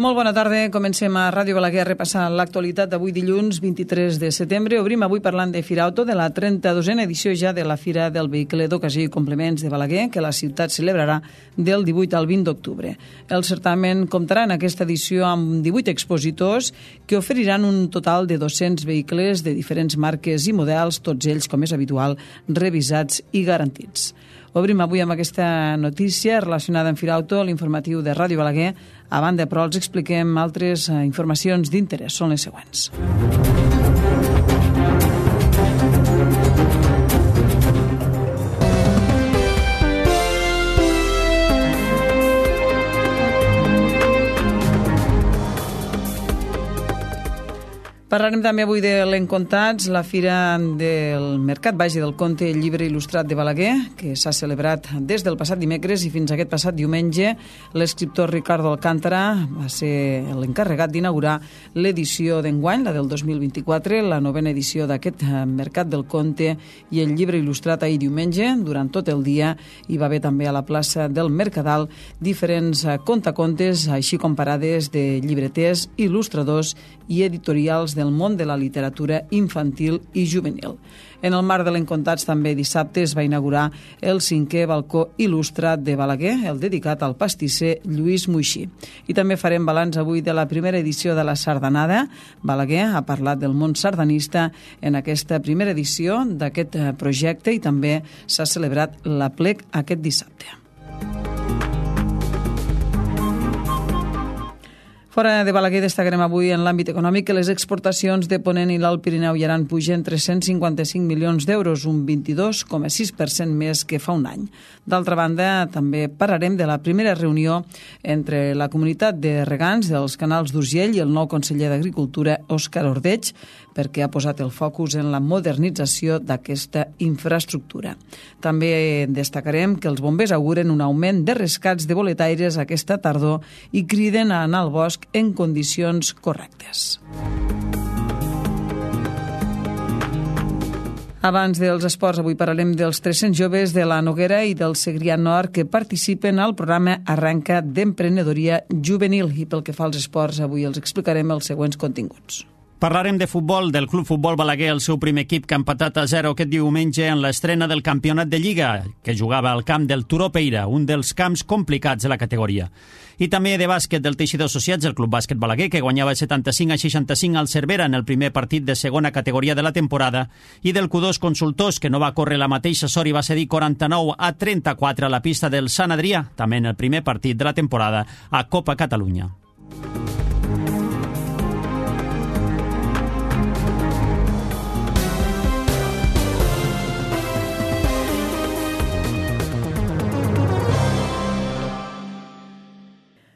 Molt bona tarda. Comencem a Ràdio Balaguer a repassar l'actualitat d'avui dilluns 23 de setembre. Obrim avui parlant de Firauto, de la 32a edició ja de la Fira del Vehicle d'Ocasió i Complements de Balaguer, que la ciutat celebrarà del 18 al 20 d'octubre. El certamen comptarà en aquesta edició amb 18 expositors que oferiran un total de 200 vehicles de diferents marques i models, tots ells, com és habitual, revisats i garantits. Obrim avui amb aquesta notícia relacionada amb Firauto, l'informatiu de Ràdio Balaguer. A banda, però, els expliquem altres informacions d'interès. Són les següents. Parlarem també avui de l'Encontats, la fira del Mercat Baix del Conte, el llibre il·lustrat de Balaguer, que s'ha celebrat des del passat dimecres i fins aquest passat diumenge. L'escriptor Ricardo Alcántara va ser l'encarregat d'inaugurar l'edició d'enguany, la del 2024, la novena edició d'aquest Mercat del Conte i el llibre il·lustrat ahir diumenge. Durant tot el dia hi va haver també a la plaça del Mercadal diferents contacontes, així com parades de llibreters, il·lustradors i editorials del món de la literatura infantil i juvenil. En el marc de l'Encontats també dissabte es va inaugurar el 5è balcó il·lustrat de Balaguer, el dedicat al pastisser Lluís Muixí. I també farem balanç avui de la primera edició de la Sardanada. Balaguer ha parlat del món sardanista en aquesta primera edició d'aquest projecte i també s'ha celebrat l'aplec aquest dissabte. Fora de Balaguer destacarem avui en l'àmbit econòmic que les exportacions de Ponent i l'Alt Pirineu i Aran pugen 355 milions d'euros, un 22,6% més que fa un any. D'altra banda, també parlarem de la primera reunió entre la comunitat de regants dels canals d'Urgell i el nou conseller d'Agricultura, Òscar Ordeig, perquè ha posat el focus en la modernització d'aquesta infraestructura. També destacarem que els bombers auguren un augment de rescats de boletaires aquesta tardor i criden a anar al bosc en condicions correctes. Abans dels esports, avui parlarem dels 300 joves de la Noguera i del Segrià Nord que participen al programa Arranca d'Emprenedoria Juvenil. I pel que fa als esports, avui els explicarem els següents continguts. Parlarem de futbol, del Club Futbol Balaguer, el seu primer equip que ha empatat a 0 aquest diumenge en l'estrena del campionat de Lliga, que jugava al camp del Turó Peira, un dels camps complicats de la categoria. I també de bàsquet del Teixidor Associats, el Club Bàsquet Balaguer, que guanyava 75-65 al Cervera en el primer partit de segona categoria de la temporada, i del Q2 Consultors, que no va córrer la mateixa sort i va cedir 49-34 a la pista del Sant Adrià, també en el primer partit de la temporada a Copa Catalunya.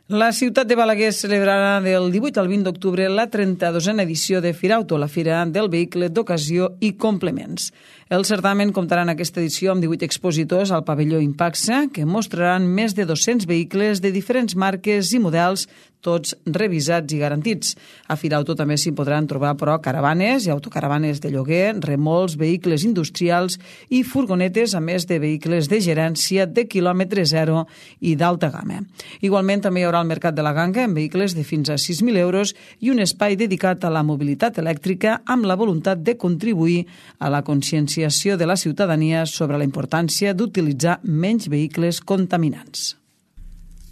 La ciutat de Balaguer celebrarà del 18 al 20 d'octubre la 32a edició de Firauto, la Fira del Vehicle d'Ocasió i Complements. El certamen comptarà en aquesta edició amb 18 expositors al pavelló Impaxa, que mostraran més de 200 vehicles de diferents marques i models, tots revisats i garantits. A Firauto també s'hi podran trobar, però, caravanes i autocaravanes de lloguer, remolcs, vehicles industrials i furgonetes, a més de vehicles de gerència de quilòmetre zero i d'alta gamma. Igualment, també hi haurà el Mercat de la Ganga amb vehicles de fins a 6.000 euros i un espai dedicat a la mobilitat elèctrica amb la voluntat de contribuir a la conscienciació de la ciutadania sobre la importància d'utilitzar menys vehicles contaminants.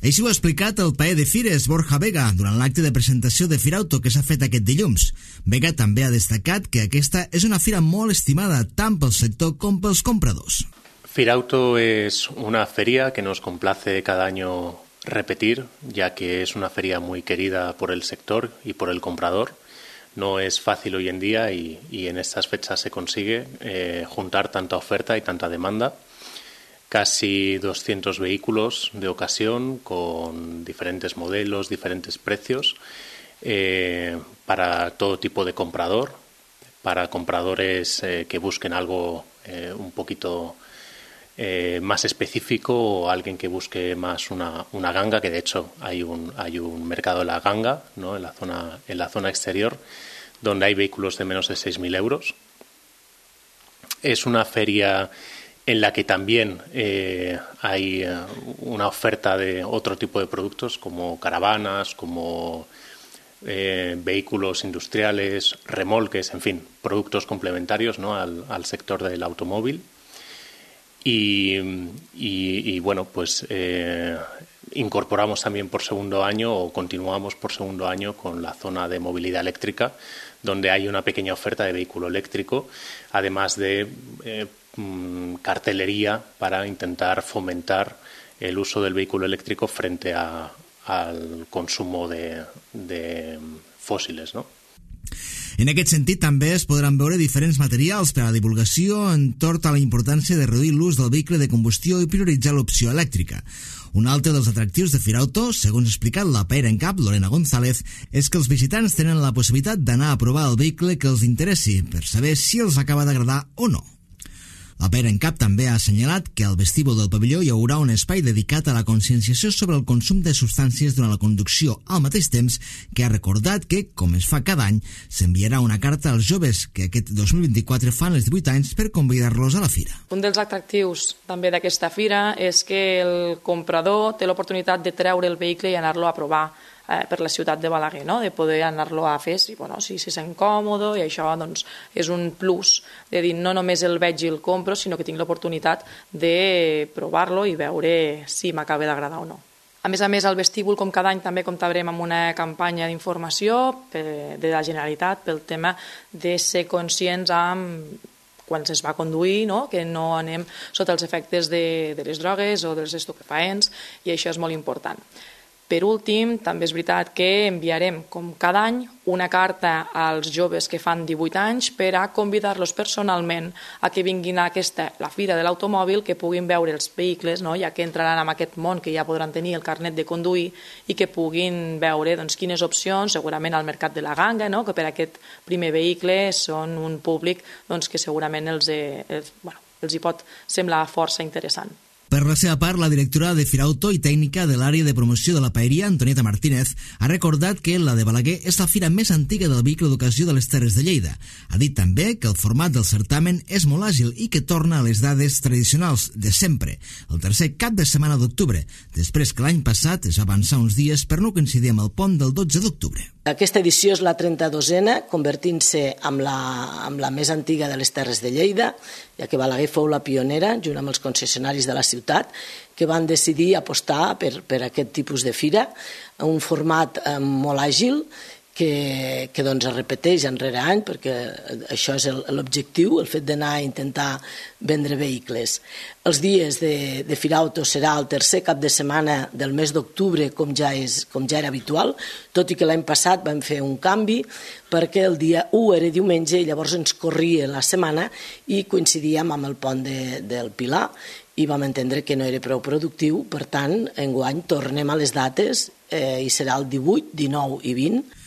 Així ho ha explicat el paer de Fires, Borja Vega, durant l'acte de presentació de Firauto que s'ha fet aquest dilluns. Vega també ha destacat que aquesta és una fira molt estimada tant pel sector com pels compradors. Firauto es una feria que nos complace cada año repetir, ya que es una feria muy querida por el sector y por el comprador. No es fácil hoy en día y en estas fechas se consigue juntar tanta oferta y tanta demanda. Casi 200 vehículos de ocasión con diferentes modelos, diferentes precios, para todo tipo de comprador, para compradores que busquen algo un poquito más específico o alguien que busque más una ganga, que de hecho hay un mercado de la ganga, ¿no? en la zona exterior, donde hay vehículos de menos de 6.000 euros. Es una feria en la que también hay una oferta de otro tipo de productos como caravanas, como vehículos industriales, remolques, en fin, productos complementarios, ¿no?, al sector del automóvil. Y bueno, pues incorporamos también por segundo año o continuamos por segundo año con la zona de movilidad eléctrica, donde hay una pequeña oferta de vehículo eléctrico, además de cartelería para intentar fomentar el uso del vehículo eléctrico frente al consumo de fòssils, no? En aquest sentit, també es podran veure diferents materials per a la divulgació entorn a la importància de reduir l'ús del vehicle de combustió i prioritzar l'opció elèctrica. Un altre dels atractius de Firauto, segons ha explicat la PR en cap, Lorena González, és que els visitants tenen la possibilitat d'anar a provar el vehicle que els interessi per saber si els acaba d'agradar o no. La PR en cap també ha assenyalat que al vestíbul del pavelló hi haurà un espai dedicat a la conscienciació sobre el consum de substàncies durant la conducció, al mateix temps que ha recordat que, com es fa cada any, s'enviarà una carta als joves que aquest 2024 fan els 18 anys per convidar-los a la fira. Un dels atractius també d'aquesta fira és que el comprador té l'oportunitat de treure el vehicle i anar-lo a provar per la ciutat de Balaguer, no? De poder anar-lo a fer si se sent còmode, i això doncs, és un plus de dir no només el veig i el compro, sinó que tinc l'oportunitat de provar-lo i veure si m'acaba d'agradar o no. A més, al vestíbul, com cada any, també comptarem amb una campanya d'informació de la Generalitat pel tema de ser conscients quan es va conduir, no? Que no anem sota els efectes de les drogues o dels estupefaents, i això és molt important. Per últim, també és veritat que enviarem, com cada any, una carta als joves que fan 18 anys per a convidar-los personalment a que vinguin a la Fira de l'Automòbil, que puguin veure els vehicles, no? Ja que entraran en aquest món, que ja podran tenir el carnet de conduir, i que puguin veure quines opcions, segurament al mercat de la ganga, no? Que per aquest primer vehicle són un públic que segurament els hi pot semblar força interessant. Per la seva part, la directora de Firauto i tècnica de l'àrea de promoció de la paeria, Antonieta Martínez, ha recordat que la de Balaguer és la fira més antiga del vehicle d'ocasió de les Terres de Lleida. Ha dit també que el format del certamen és molt àgil i que torna a les dades tradicionals de sempre, el tercer cap de setmana d'octubre, després que l'any passat es va avançar uns dies per no coincidir amb el pont del 12 d'octubre. Aquesta edició és la 32a, convertint-se amb la més antiga de les Terres de Lleida, ja que Balaguer fou la pionera, junt amb els concessionaris de la ciutat, que van decidir apostar per aquest tipus de fira, un format molt àgil, que es repeteix any rere any, perquè això és l'objectiu, el fet d'anar a intentar vendre vehicles. Els dies de Firauto serà el tercer cap de setmana del mes d'octubre, com ja era habitual, tot i que l'any passat vam fer un canvi, perquè el dia 1 era diumenge i llavors ens corria la setmana i coincidíem amb el pont del Pilar, i vam entendre que no era prou productiu. Per tant, enguany tornem a les dates i serà el 18, 19 i 20.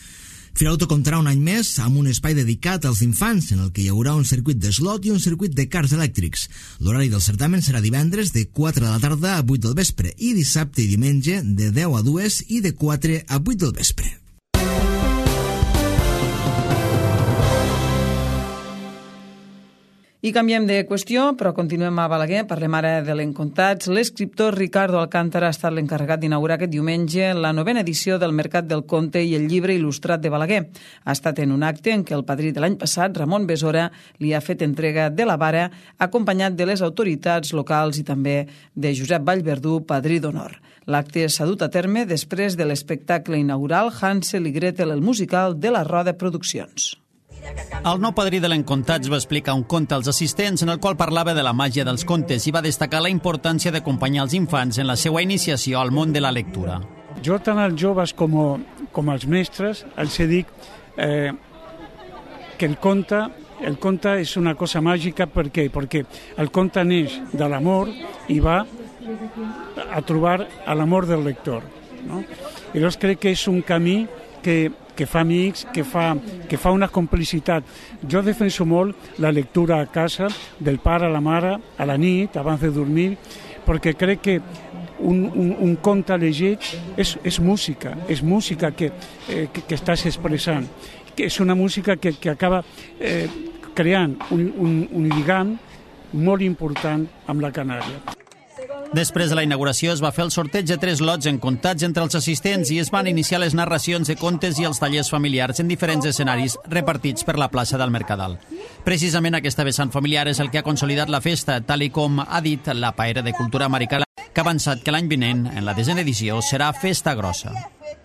Firauto comptarà un any més amb un espai dedicat als infants, en el que hi haurà un circuit d'eslot i un circuit de cars elèctrics. L'horari del certamen serà divendres de 4 de la tarda a 8 del vespre i dissabte i diumenge de 10 a 2 i de 4 a 8 del vespre. I canviem de qüestió, però continuem a Balaguer. Parlem ara de l'Encontats. L'escriptor Ricardo Alcántara ha estat l'encarregat d'inaugurar aquest diumenge la 9a edició del Mercat del Conte i el llibre il·lustrat de Balaguer. Ha estat en un acte en què el padrí de l'any passat, Ramon Besora, li ha fet entrega de la vara, acompanyat de les autoritats locals i també de Josep Vallverdú, padrí d'honor. L'acte s'ha dut a terme després de l'espectacle inaugural Hansel i Gretel, el musical de la Roda Produccions. El nou padrí de l'Encontats va explicar un conte als assistents en el qual parlava de la màgia dels contes i va destacar la importància d'acompanyar els infants en la seva iniciació al món de la lectura. Jo tant als joves com als mestres els dic que el conte és una cosa màgica. Per què? Perquè el conte neix de l'amor i va a trobar l'amor del lector, no? I llavors crec que és un camí que fa amics, que fa una complicitat. Jo defenso molt la lectura a casa, del pare a la mare, a la nit, abans de dormir, perquè crec que un conte llegit és música que estàs expressant. És una música que acaba creant un lligam molt important amb la Canària. Després de la inauguració es va fer el sorteig de 3 lots encontats entre els assistents i es van iniciar les narracions de contes i els tallers familiars en diferents escenaris repartits per la plaça del Mercadal. Precisament aquesta vessant familiar és el que ha consolidat la festa, tal i com ha dit la paera de cultura maricana, que ha avançat que l'any vinent, en la 10ª edició, serà festa grossa.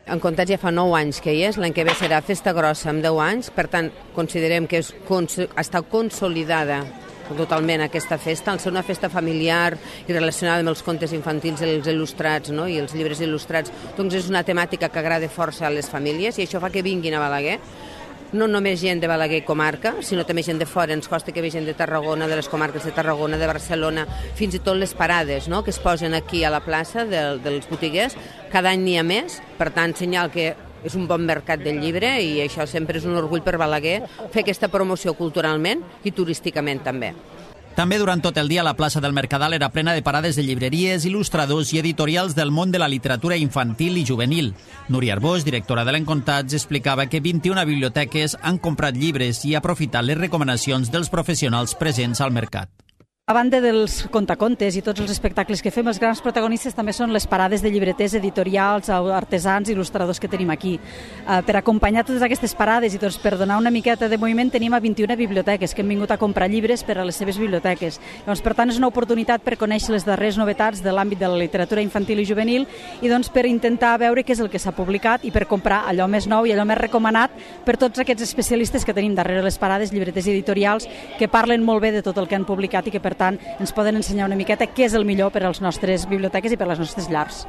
Encontats ja fa 9 anys que hi és, l'any que ve serà festa grossa amb 10 anys, per tant, considerem que està consolidada totalment aquesta festa, al ser una festa familiar i relacionada amb els contes infantils i els il·lustrats, no? I els llibres il·lustrats, doncs és una temàtica que agrada força a les famílies i això fa que vinguin a Balaguer, no només gent de Balaguer i comarca, sinó també gent de fora. Ens costa que ve gent de Tarragona, de les comarques de Tarragona, de Barcelona, fins i tot les parades, no?, que es posen aquí a la plaça dels botiguers. Cada any n'hi ha més, per tant, senyal que és un bon mercat del llibre i això sempre és un orgull per Balaguer, fer aquesta promoció culturalment i turísticament també. També durant tot el dia la plaça del Mercadal era plena de parades de llibreries, il·lustradors i editorials del món de la literatura infantil i juvenil. Núria Arbós, directora de l'Encontats, explicava que 21 biblioteques han comprat llibres i aprofitat les recomanacions dels professionals presents al mercat. A banda dels contacontes i tots els espectacles que fem, els grans protagonistes també són les parades de llibreters, editorials, artesans, il·lustradors que tenim aquí. Per acompanyar totes aquestes parades i doncs, per donar una miqueta de moviment tenim a 21 biblioteques que han vingut a comprar llibres per a les seves biblioteques. Doncs, per tant, és una oportunitat per conèixer les darreres novetats de l'àmbit de la literatura infantil i juvenil i doncs, per intentar veure què és el que s'ha publicat i per comprar allò més nou i allò més recomanat per tots aquests especialistes que tenim darrere les parades, llibreters i editorials, que parlen molt bé de tot el que han publicat i que per tant ens poden ensenyar una miqueta què és el millor per a les nostres biblioteques i per a les nostres llars.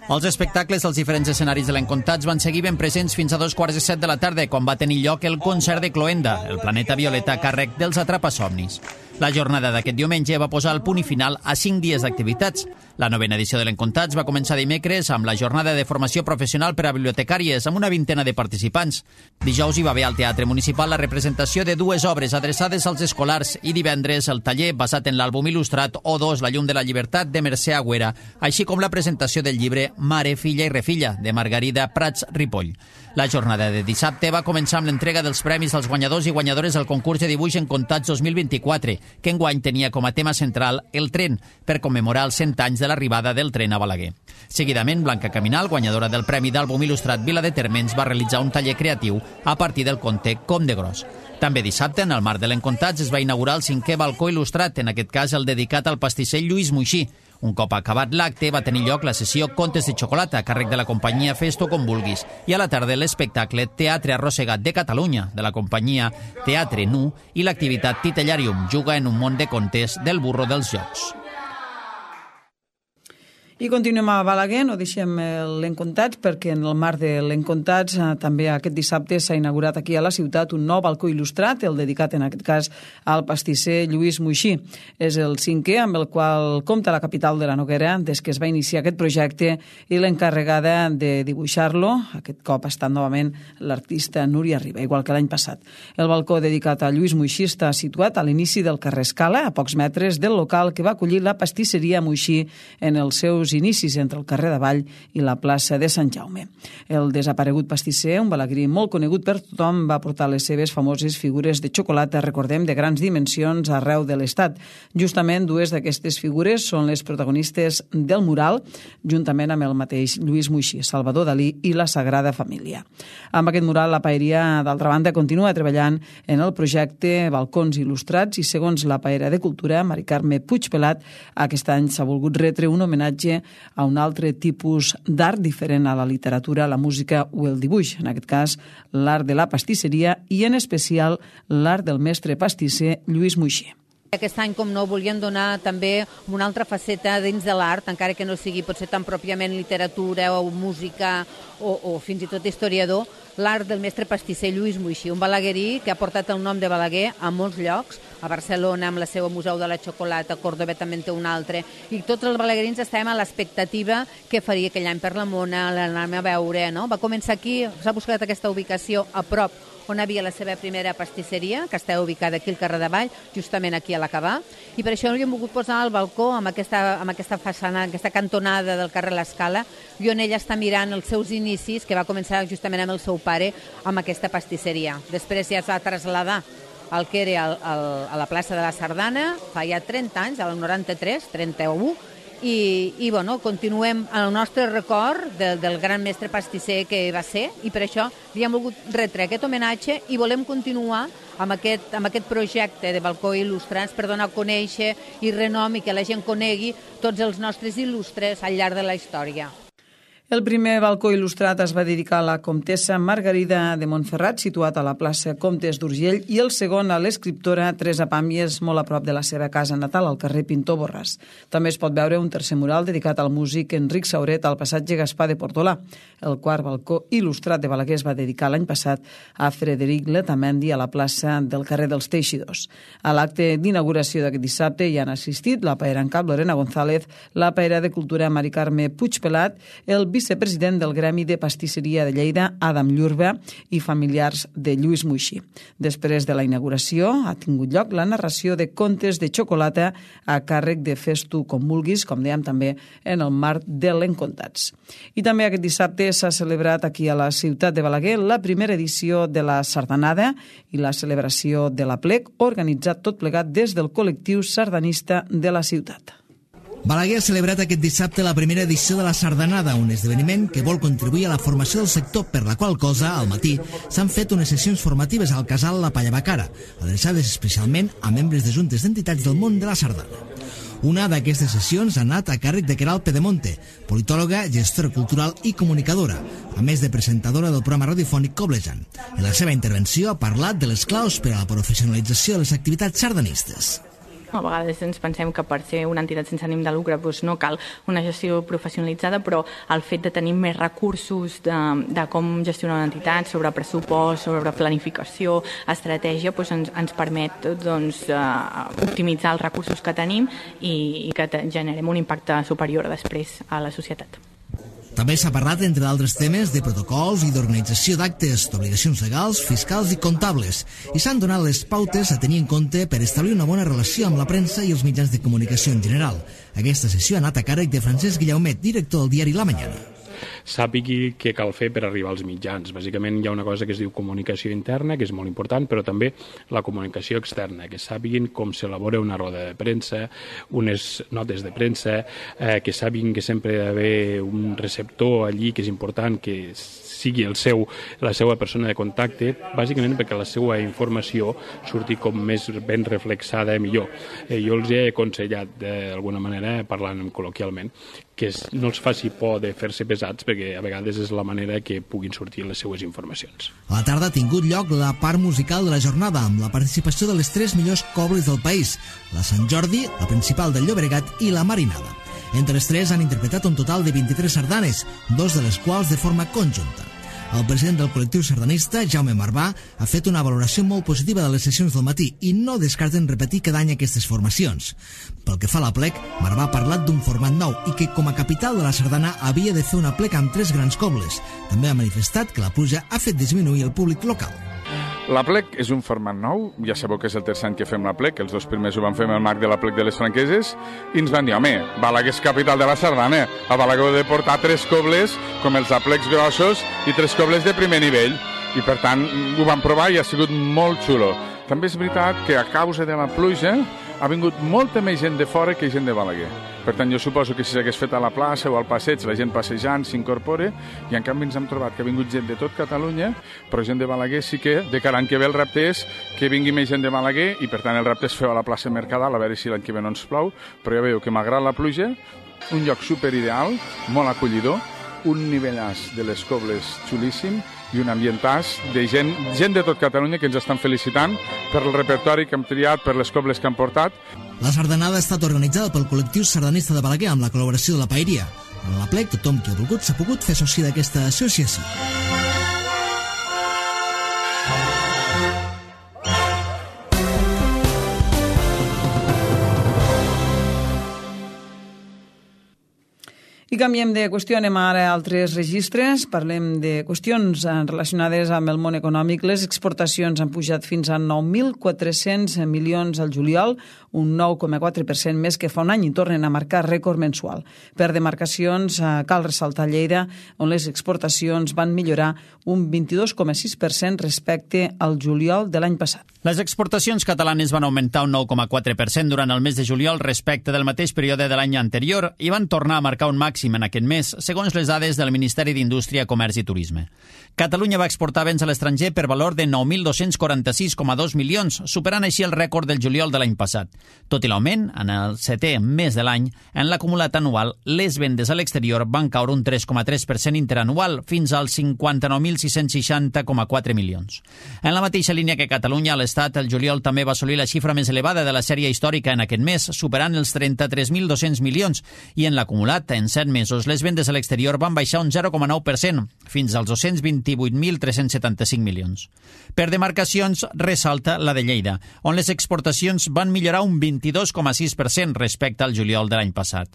Els espectacles dels diferents escenaris de l'Encontats van seguir ben presents fins a 2:45 de la tarda, quan va tenir lloc el concert de Cloenda, el planeta violeta a càrrec dels Atrapasomnis. La jornada d'aquest diumenge va posar el punt i final a 5 dies d'activitats. La 9ª edició de l'Encontats va començar dimecres amb la jornada de formació professional per a bibliotecàries, amb una 20ena de participants. Dijous hi va haver al Teatre Municipal la representació de 2 obres adreçades als escolars i divendres el taller basat en l'àlbum il·lustrat O2, la llum de la llibertat, de Mercè Agüera, així com la presentació del llibre Mare, filla i refilla, de Margarida Prats Ripoll. La jornada de dissabte va començar amb l'entrega dels premis als guanyadors i guanyadores del concurs de dibuix Encontats 2024, que enguany tenia com a tema central el tren, per commemorar els 100 anys de l'arribada del tren a Balaguer. Seguidament, Blanca Caminal, guanyadora del Premi d'Àlbum Il·lustrat Vila de Térmens, va realitzar un taller creatiu a partir del conte Com de gros. També dissabte, en el marc de l'Encontats, es va inaugurar el 5è balcó il·lustrat, en aquest cas el dedicat al pastisser Lluís Moixí. Un cop acabat l'acte, va tenir lloc la sessió Contes de xocolata, a càrrec de la companyia Fes-t'ho com vulguis, i a la tarda l'espectacle Teatre Arrossegat de Catalunya, de la companyia Teatre Nu, i l'activitat Titellarium, juga en un món de contes del burro dels jocs. I continuem a Balaguer, no deixem l'Encontats, perquè en el marc de l'Encontats també aquest dissabte s'ha inaugurat aquí a la ciutat un nou balcó il·lustrat, el dedicat en aquest cas al pastisser Lluís Moixí. És el 5è amb el qual compta la capital de la Noguera des que es va iniciar aquest projecte i l'encarregada de dibuixar-lo, aquest cop ha estat novament l'artista Núria Riba, igual que l'any passat. El balcó dedicat a Lluís Moixí està situat a l'inici del carrer Escala, a pocs metres del local que va acollir la pastisseria Moixí en els seus inicis entre el carrer d'Avall i la plaça de Sant Jaume. El desaparegut pastisser, un balagrí molt conegut per tothom, va portar les seves famoses figures de xocolata, recordem, de grans dimensions arreu de l'estat. Justament 2 d'aquestes figures són les protagonistes del mural, juntament amb el mateix Lluís Moixí, Salvador Dalí i la Sagrada Família. Amb aquest mural, la paeria, d'altra banda, continua treballant en el projecte Balcons Il·lustrats i, segons la paera de Cultura, Mari Carme Puigpelat, aquest any s'ha volgut retre un homenatge a un altre tipus d'art diferent a la literatura, la música o el dibuix. En aquest cas, l'art de la pastisseria i, en especial, l'art del mestre pastisser Lluís Moixí. Aquest any, com no, volíem donar també una altra faceta dins de l'art, encara que no sigui potser tan pròpiament literatura o música o fins i tot historiador, l'art del mestre pastisser Lluís Moixí, un balaguerí que ha portat el nom de Balaguer a molts llocs, a Barcelona amb la seva Museu de la Xocolata, a Córdoba també en té un altre, i tots els balaguerins estem a l'expectativa que faria aquell any per la Mona, l'anem a veure, no? Va començar aquí, s'ha buscat aquesta ubicació a prop on havia la seva primera pastisseria, que està ubicada aquí al carrer d'Avall, justament aquí a l'Acabà, i per això hi hem volgut posar al balcó amb aquesta façana, aquesta cantonada del carrer L'Escala, i on ella està mirant els seus inicis, que va començar justament amb el seu pare, amb aquesta pastisseria. Després ja es va traslladar al que era a la plaça de la Sardana, fa ja 30 anys, al 93, 31, i continuem el nostre record del gran mestre pastisser que va ser, i per això li hem volgut retre aquest homenatge i volem continuar amb aquest projecte de balcó il·lustrats per donar a conèixer i renom i que la gent conegui tots els nostres il·lustres al llarg de la història. El primer balcó il·lustrat es va dedicar a la comtessa Margarida de Montferrat, situat a la plaça Comtes d'Urgell, i el segon a l'escriptora Teresa Pàmies, molt a prop de la seva casa natal, al carrer Pintor Borràs. També es pot veure un tercer mural dedicat al músic Enric Sauret al passatge Gaspar de Portolà. El quart balcó il·lustrat de Balaguer es va dedicar l'any passat a Frederic Letamendi a la plaça del carrer dels Teixidors. A l'acte d'inauguració d'aquest dissabte hi han assistit la paera en cap Lorena González, la paera de cultura Mari Carme Puigpelat, el vicepresident del Gremi de Pastisseria de Lleida, Adam Llurba, i familiars de Lluís Muixí. Després de la inauguració ha tingut lloc la narració de contes de xocolata a càrrec de Fes tu com vulguis, com dèiem també en el marc de l'Encontats. I també aquest dissabte s'ha celebrat aquí a la ciutat de Balaguer la primera edició de la Sardanada i la celebració de l'Aplec, organitzat tot plegat des del col·lectiu sardanista de la ciutat. Balaguer ha celebrat aquest dissabte la primera edició de la Sardanada, un esdeveniment que vol contribuir a la formació del sector, per la qual cosa, al matí, s'han fet unes sessions formatives al casal La Pallabacara, adreçades especialment a membres de juntes d'entitats del món de la sardana. Una d'aquestes sessions ha anat a càrrec de Queralt Pedemonte, politòloga, gestora cultural i comunicadora, a més de presentadora del programa radiofònic Coblejant. En la seva intervenció ha parlat de les claus per a la professionalització de les activitats sardanistes. A vegades ens pensem que per ser una entitat sense ànim de lucre no cal una gestió professionalitzada, però el fet de tenir més recursos de com gestionar una entitat, sobre pressupost, sobre planificació, estratègia, ens permet optimitzar els recursos que tenim i que generem un impacte superior després a la societat. També s'ha parlat, entre d'altres temes, de protocols i d'organització d'actes, d'obligacions legals, fiscals i comptables, i s'han donat les pautes a tenir en compte per establir una bona relació amb la premsa i els mitjans de comunicació en general. Aquesta sessió ha anat a càrrec de Francesc Guillaumet, director del diari La Mañana. Sàpigui què cal fer per arribar als mitjans. Bàsicament hi ha una cosa que es diu comunicació interna, que és molt important, però també la comunicació externa, que sàpiguin com s'elabora una roda de premsa, unes notes de premsa, que sàpiguin que sempre hi ha d'haver un receptor allí, que és important que sigui la seva persona de contacte, bàsicament perquè la seva informació surti com més ben reflexada millor. Jo els he aconsellat, d'alguna manera, parlant col·loquialment, que no els faci por de fer-se pesats, perquè a vegades és la manera que puguin sortir les seues informacions. A la tarda ha tingut lloc la part musical de la jornada, amb la participació de les 3 millors cobles del país, la Sant Jordi, la Principal del Llobregat i la Marinada. Entre les 3 han interpretat un total de 23 sardanes, 2 de les quals de forma conjunta. El president del col·lectiu sardanista, Jaume Marbà, ha fet una valoració molt positiva de les sessions del matí i no descarten repetir cada any aquestes formacions. Pel que fa a l'Aplec, Marbà ha parlat d'un format nou i que, com a capital de la sardana, havia de fer un Aplec amb 3 grans cobles. També ha manifestat que la pluja ha fet disminuir el públic local. L'Aplec és un format nou, ja sabeu que és el tercer any que fem l'Aplec, els 2 primers ho vam fer amb el marc de l'Aplec de les Franqueses, i ens van dir, home, Balaguer és capital de la sardana, a Balaguer heu de portar 3 cobles, com els Aplecs grossos, i 3 cobles de primer nivell, i per tant ho vam provar i ha sigut molt xulo. També és veritat que a causa de la pluja ha vingut molta més gent de fora que gent de Balaguer. Per tant, jo suposo que si s'hagués fet a la plaça o al passeig, la gent passejant s'incorpora, i en canvi ens hem trobat que ha vingut gent de tot Catalunya, però gent de Balaguer sí que, de cara a l'any que ve, el repte és que vingui més gent de Balaguer, i per tant el repte és fer a la plaça Mercadal, a veure si l'any que ve no ens plou, però ja veieu que malgrat la pluja, un lloc superideal, molt acollidor, un nivellàs de les cobles xulíssim, i un ambientàs de gent de tot Catalunya que ens estan felicitant per el repertori que hem triat, per les cobles que han portat. La sardanada ha estat organitzada pel col·lectiu sardanista de Balaguer amb la col·laboració de la Paeria. En l'Aplec, tothom qui ha volgut s'ha pogut fer soci d'aquesta associació. I canviem de qüestió, anem ara a altres registres. Parlem de qüestions relacionades amb el món econòmic. Les exportacions han pujat fins a 9.400 milions al juliol, un 9,4% més que fa un any, i tornen a marcar rècord mensual. Per demarcacions, cal ressaltar Lleida, on les exportacions van millorar un 22,6% respecte al juliol de l'any passat. Les exportacions catalanes van augmentar un 9,4% durant el mes de juliol respecte del mateix període de l'any anterior i van tornar a marcar un màxim en aquest mes, segons les dades del Ministeri d'Indústria, Comerç i Turisme. Catalunya va exportar béns a l'estranger per valor de 9.246,2 milions, superant així el rècord del juliol de l'any passat. Tot i l'augment, en el 7è mes de l'any, en l'acumulat anual, les vendes a l'exterior van caure un 3,3% interanual, fins als 59.660,4 milions. En la mateixa línia que Catalunya, l'Estat, el juliol també va assolir la xifra més elevada de la sèrie històrica en aquest mes, superant els 33.200 milions, i en l'acumulat, en 7 mesos, les vendes a l'exterior van baixar un 0,9%, fins als 228.375 milions. Per demarcacions, ressalta la de Lleida, on les exportacions van millorar un 22,6% respecte al juliol de l'any passat.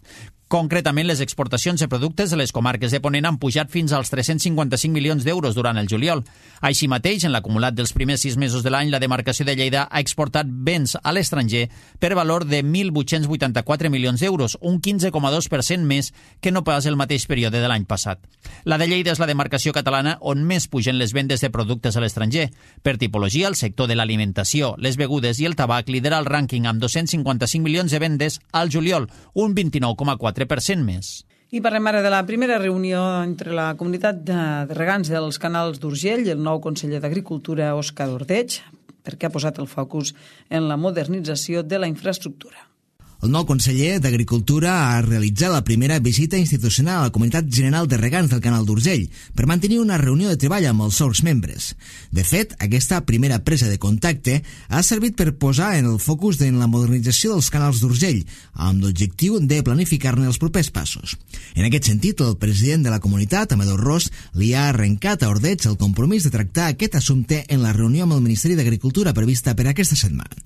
Concretament, les exportacions de productes de les comarques de Ponent han pujat fins als 355 milions d'euros durant el juliol. Així mateix, en l'acumulat dels primers 6 mesos de l'any, la demarcació de Lleida ha exportat béns a l'estranger per valor de 1.884 milions d'euros, un 15,2% més que no pas el mateix període de l'any passat. La de Lleida és la demarcació catalana on més pugen les vendes de productes a l'estranger. Per tipologia, el sector de l'alimentació, les begudes i el tabac lidera el rànquing amb 255 milions de vendes al juliol, un 29,4% més. I parlem ara de la primera reunió entre la comunitat de regants dels canals d'Urgell i el nou conseller d'Agricultura, Òscar Ordeig, perquè ha posat el focus en la modernització de la infraestructura. El nou conseller d'Agricultura ha realitzat la primera visita institucional a la Comunitat General de Regants del Canal d'Urgell per mantenir una reunió de treball amb els seus membres. De fet, aquesta primera presa de contacte ha servit per posar en el focus en la modernització dels canals d'Urgell, amb l'objectiu de planificar-ne els propers passos. En aquest sentit, el president de la comunitat, Amadeu Ros, li ha arrencat a Ordeig el compromís de tractar aquest assumpte en la reunió amb el Ministeri d'Agricultura prevista per aquesta setmana.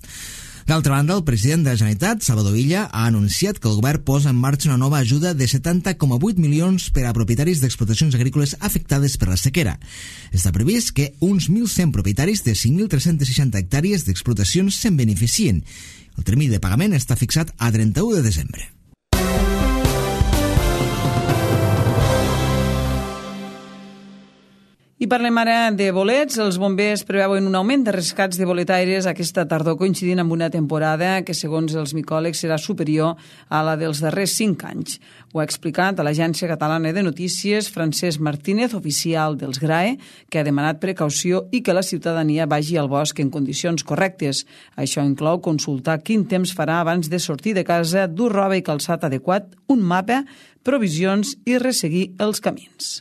D'altra banda, el president de la Generalitat, Salvador Illa, ha anunciat que el govern posa en marxa una nova ajuda de 70,8 milions per a propietaris d'explotacions agrícoles afectades per la sequera. Està previst que uns 1.100 propietaris de 5.360 hectàrees d'explotacions se'n beneficien. El termini de pagament està fixat a 31 de desembre. I parlem ara de bolets. Els bombers preveuen un augment de rescats de boletaires aquesta tardor, coincidint amb una temporada que, segons els micòlegs, serà superior a la dels darrers 5 anys. Ho ha explicat a l'Agència Catalana de Notícies Francesc Martínez, oficial dels GRAE, que ha demanat precaució i que la ciutadania vagi al bosc en condicions correctes. Això inclou consultar quin temps farà abans de sortir de casa, dur roba i calçat adequat, un mapa, provisions i resseguir els camins.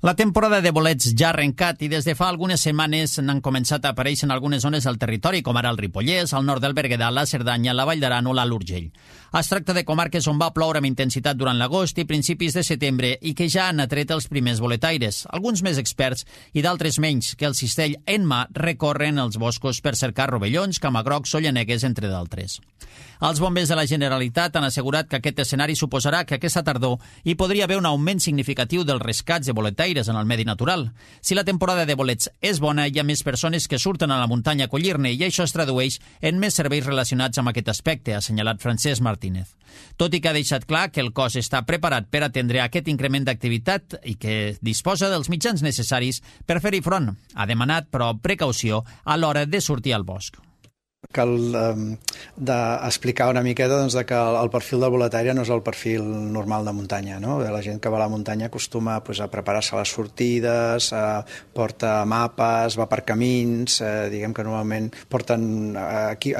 La temporada de bolets ja ha arrencat i des de fa algunes setmanes n'han començat a aparèixer en algunes zones del territori, com ara el Ripollès, al nord del Berguedà, la Cerdanya, la Vall d'Aran o l'Alt Urgell. Es tracta de comarques on va ploure amb intensitat durant l'agost i principis de setembre i que ja han atret els primers boletaires, alguns més experts i d'altres menys, que el cistell en mà recorren els boscos per cercar rovellons, camagrocs o llanegues, entre d'altres. Els bombers de la Generalitat han assegurat que aquest escenari suposarà que aquesta tardor hi podria haver un augment significatiu dels rescats de boletaires en el medi natural. Si la temporada de bolets és bona, hi ha més persones que surten a la muntanya a collir-ne i això es tradueix en més serveis relacionats amb aquest aspecte, ha assenyalat Francesc Martínez. Tot i que ha deixat clar que el cos està preparat per atendre aquest increment d'activitat i que disposa dels mitjans necessaris per fer-hi front. Ha demanat, però, precaució a l'hora de sortir al bosc. Cal explicar una miqueta doncs, que el perfil del boletaire no és el perfil normal de muntanya. No? La gent que va a la muntanya acostuma pues, a preparar-se les sortides, porta mapes, va per camins, diguem que normalment porten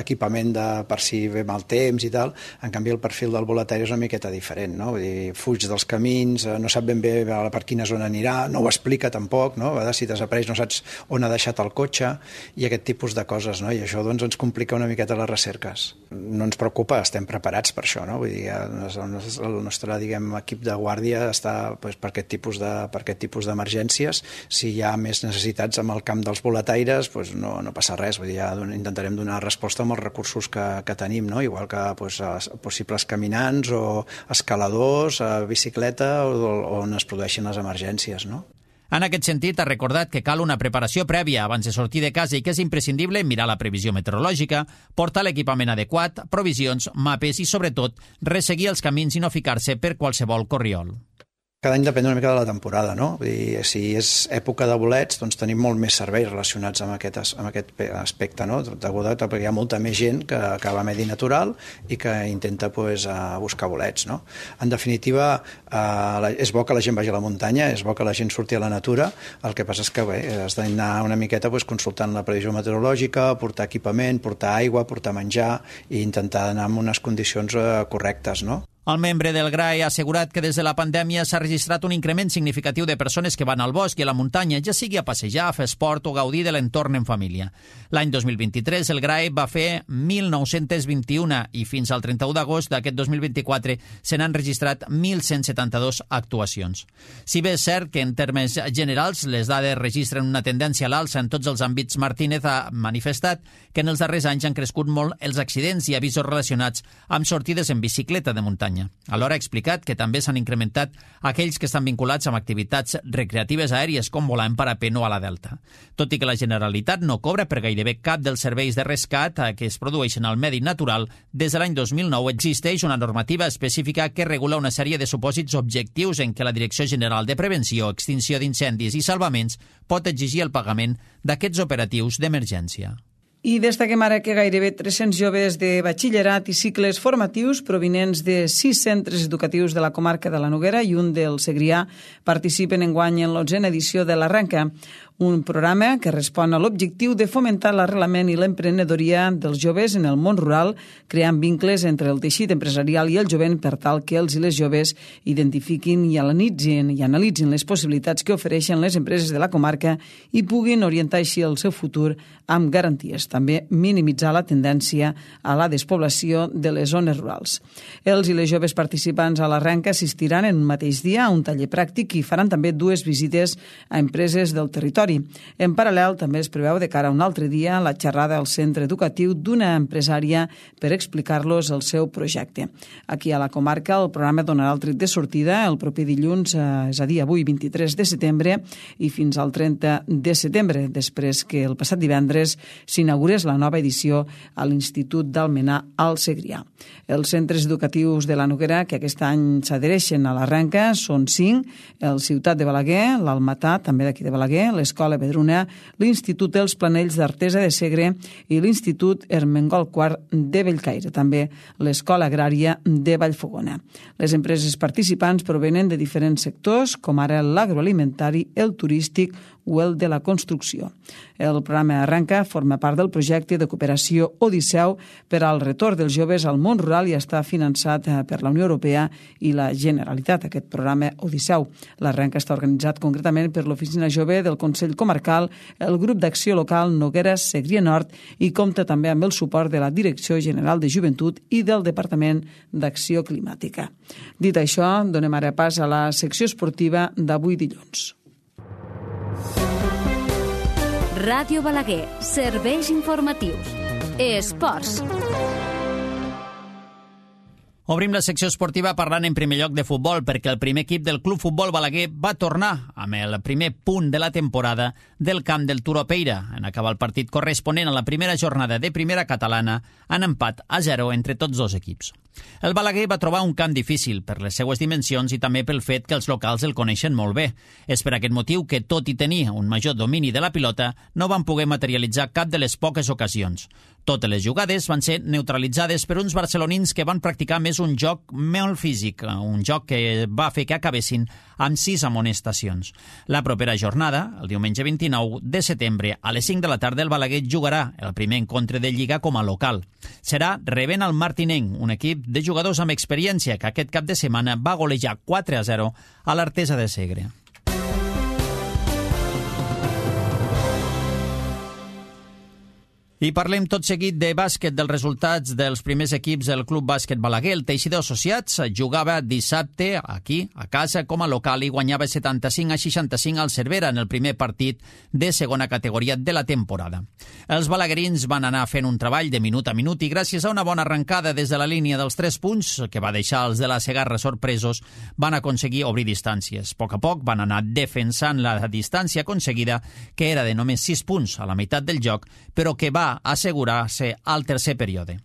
equipament per si ve mal temps i tal. En canvi, el perfil del boletaire és una miqueta diferent. No? Vull dir, fuig dels camins, no sap ben bé per quina zona anirà, no ho explica tampoc, no? A vegades si desapareix no saps on ha deixat el cotxe i aquest tipus de coses. No? I això doncs, ens complica una miqueta les recerques. No ens preocupa, estem preparats per això, no? Vull dir, el nostre equip de guàrdia està per aquest tipus d'emergències. Si hi ha més necessitats amb el camp dels boletaires, no passa res. Vull dir, intentarem donar resposta amb els recursos que tenim, no? Igual que possibles caminants o escaladors, bicicleta, on es produeixen les emergències, no? En aquest sentit, ha recordat que cal una preparació prèvia abans de sortir de casa i que és imprescindible mirar la previsió meteorològica, portar l'equipament adequat, provisions, mapes i, sobretot, resseguir els camins i no ficar-se per qualsevol corriol. Cada any depèn una mica de la temporada, no? Vull dir, si és època de bolets, doncs tenim molt més serveis relacionats amb aquest aspecte, no? Perquè hi ha molta més gent que va a medi natural i que intenta buscar bolets, no? En definitiva, és bo que la gent vagi a la muntanya, és bo que la gent surti a la natura, el que passa és que has d'anar una miqueta consultant la previsió meteorològica, portar equipament, portar aigua, portar menjar i intentar anar en unes condicions correctes, no? El membre del GRAE ha assegurat que des de la pandèmia s'ha registrat un increment significatiu de persones que van al bosc i a la muntanya, ja sigui a passejar, a fer esport o gaudir de l'entorn en família. L'any 2023 el GRAE va fer 1.921 i fins al 31 d'agost d'aquest 2024 se n'han registrat 1.172 actuacions. Si bé és cert que en termes generals les dades registren una tendència a l'alça en tots els àmbits, Martínez ha manifestat que en els darrers anys han crescut molt els accidents i avisos relacionats amb sortides en bicicleta de muntanya. Alhora ha explicat que també s'han incrementat aquells que estan vinculats amb activitats recreatives aèries com volar en parapent o a la Delta. Tot i que la Generalitat no cobra per gairebé cap dels serveis de rescat que es produeixen al medi natural, des de l'any 2009 existeix una normativa específica que regula una sèrie de supòsits objectius en què la Direcció General de Prevenció, Extinció d'Incendis i Salvaments pot exigir el pagament d'aquests operatius d'emergència. I destaquem ara que gairebé 300 joves de batxillerat i cicles formatius provinents de 6 centres educatius de la comarca de la Noguera i un del Segrià participen enguany en l'11a edició de l'Arrenca, un programa que respon a l'objectiu de fomentar l'arrelament i l'emprenedoria dels joves en el món rural, creant vincles entre el teixit empresarial i el jovent per tal que els i les joves identifiquin i analitzin les possibilitats que ofereixen les empreses de la comarca i puguin orientar així el seu futur amb garanties. També minimitzar la tendència a la despoblació de les zones rurals. Els i les joves participants a l'Arrenca assistiran en un mateix dia a un taller pràctic i faran també 2 visites a empreses del territori. En paral·lel, també es preveu de cara a un altre dia la xerrada al centre educatiu d'una empresària per explicar-los el seu projecte. Aquí a la comarca el programa donarà el tret de sortida el proper dilluns, és a dir, avui 23 de setembre i fins al 30 de setembre, després que el passat divendres s'inaugurés la nova edició a l'Institut d'Almenar al Segrià. Els centres educatius de la Noguera que aquest any s'adhereixen a l'Arrenca són 5, el Ciutat de Balaguer, l'Almatà, també d'aquí de Balaguer, l'Escola Vedruna, l'Institut dels Planells d'Artesa de Segre i l'Institut Ermengol IV de Bellcaire, també l'Escola Agrària de Vallfogona. Les empreses participants provenen de diferents sectors, com ara l'agroalimentari, el turístic o el de la construcció. El programa Arrenca forma part del projecte de cooperació Odisseu per al retorn dels joves al món rural i està finançat per la Unió Europea i la Generalitat, aquest programa Odisseu. L'Arrenca està organitzat concretament per l'Oficina Jove del Consell Comarcal, el Grup d'Acció Local Noguera Segrià Nord i compta també amb el suport de la Direcció General de Joventut i del Departament d'Acció Climàtica. Dit això, donem ara pas a la secció esportiva d'avui dilluns. Ràdio Balaguer, serveis informatius. Esports. Obrim la secció esportiva parlant en primer lloc de futbol perquè el primer equip del Club Futbol Balaguer va tornar amb el primer punt de la temporada del camp del Turó Peira en acabar el partit corresponent a la primera jornada de primera catalana en empat a 0 entre tots dos equips. El Balaguer va trobar un camp difícil per les seues dimensions i també pel fet que els locals el coneixen molt bé. És per aquest motiu que, tot i tenir un major domini de la pilota, no van poder materialitzar cap de les poques ocasions. Totes les jugades van ser neutralitzades per uns barcelonins que van practicar més un joc molt físic, un joc que va fer que acabessin amb 6 amonestacions. La propera jornada, el diumenge 29 de setembre, a les 5 de la tarda, el Balaguer jugarà el primer encontre de Lliga com a local. Serà rebent el Martinenc, un equip de jugadors amb experiència que aquest cap de setmana va golejar 4-0 a l'Artesa de Segre. I parlem tot seguit de bàsquet, dels resultats dels primers equips del Club Bàsquet Balaguer. El Teixidor Associats jugava dissabte aquí, a casa, com a local i guanyava 75-65 al Cervera en el primer partit de segona categoria de la temporada. Els balaguerins van anar fent un treball de minut a minut i gràcies a una bona arrencada des de la línia dels 3 punts, que va deixar els de la Segarra sorpresos, van aconseguir obrir distàncies. A poc van anar defensant la distància aconseguida, que era de només 6 punts a la meitat del joc, però que va assegurar-se al tercer període.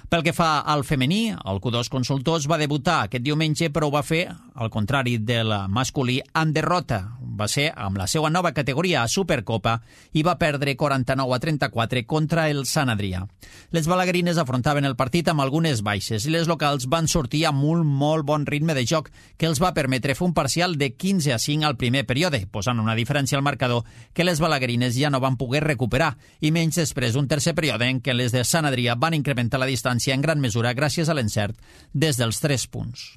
Pel que fa al femení, el Q2 Consultors va debutar aquest diumenge, però ho va fer, al contrari del masculí, en derrota. Va ser amb la seva nova categoria a Supercopa i va perdre 49-34 contra el Sant Adrià. Les balaguerines afrontaven el partit amb algunes baixes i les locals van sortir amb un molt bon ritme de joc que els va permetre fer un parcial de 15-5 al primer període, posant una diferència al marcador que les balaguerines ja no van poder recuperar, i menys després d'un tercer període en què les de Sant Adrià van incrementar la distància en gran mesura gràcies a l'encert des dels 3 punts.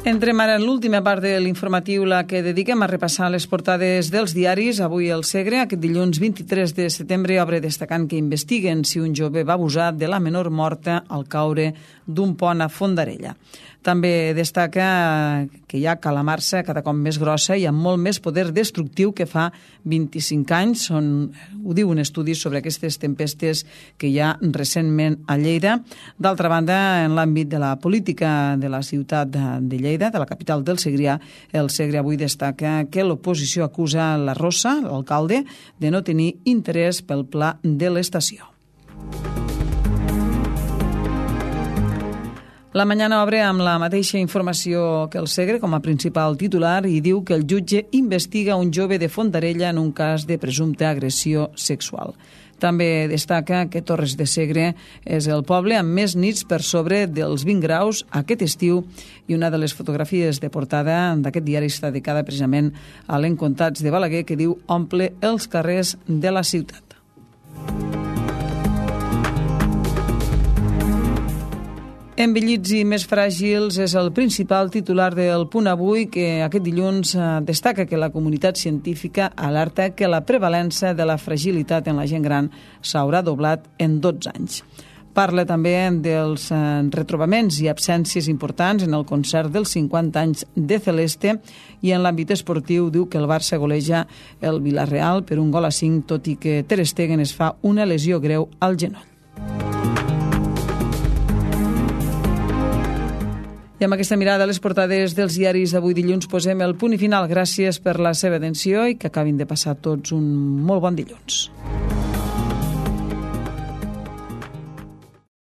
Entrem ara en l'última part de l'informatiu, la que dediquem a repassar les portades dels diaris. Avui el Segre, aquest dilluns 23 de setembre, obre destacant que investiguen si un jove va abusar de la menor morta al caure d'un pont a Fondarella. També destaca que hi ha calamarsa cada cop més grossa i amb molt més poder destructiu que fa 25 anys. Ho diu un estudi sobre aquestes tempestes que hi ha recentment a Lleida. D'altra banda, en l'àmbit de la política de la ciutat de Lleida, de la capital del Segrià, el Segre avui destaca que l'oposició acusa la Rosa, l'alcalde, de no tenir interès pel pla de l'estació. La Mañana obre amb la mateixa informació que el Segre com a principal titular i diu que el jutge investiga un jove de Fondarella en un cas de presumpta agressió sexual. També destaca que Torres de Segre és el poble amb més nits per sobre dels 20 graus aquest estiu i una de les fotografies de portada d'aquest diari està dedicada precisament a l'Encontats de Balaguer que diu omple els carrers de la ciutat. Envellits i més fràgils és el principal titular del Punt Avui, que aquest dilluns destaca que la comunitat científica alerta que la prevalença de la fragilitat en la gent gran s'haurà doblat en 12 anys. Parla també dels retrobaments i absències importants en el concert dels 50 anys de Celeste i en l'àmbit esportiu diu que el Barça goleja el Villarreal per 1-5, tot i que Ter Stegen es fa una lesió greu al genoll. I amb aquesta mirada a les portades dels diaris d'avui dilluns posem el punt i final. Gràcies per la seva atenció i que acabin de passar tots un molt bon dilluns.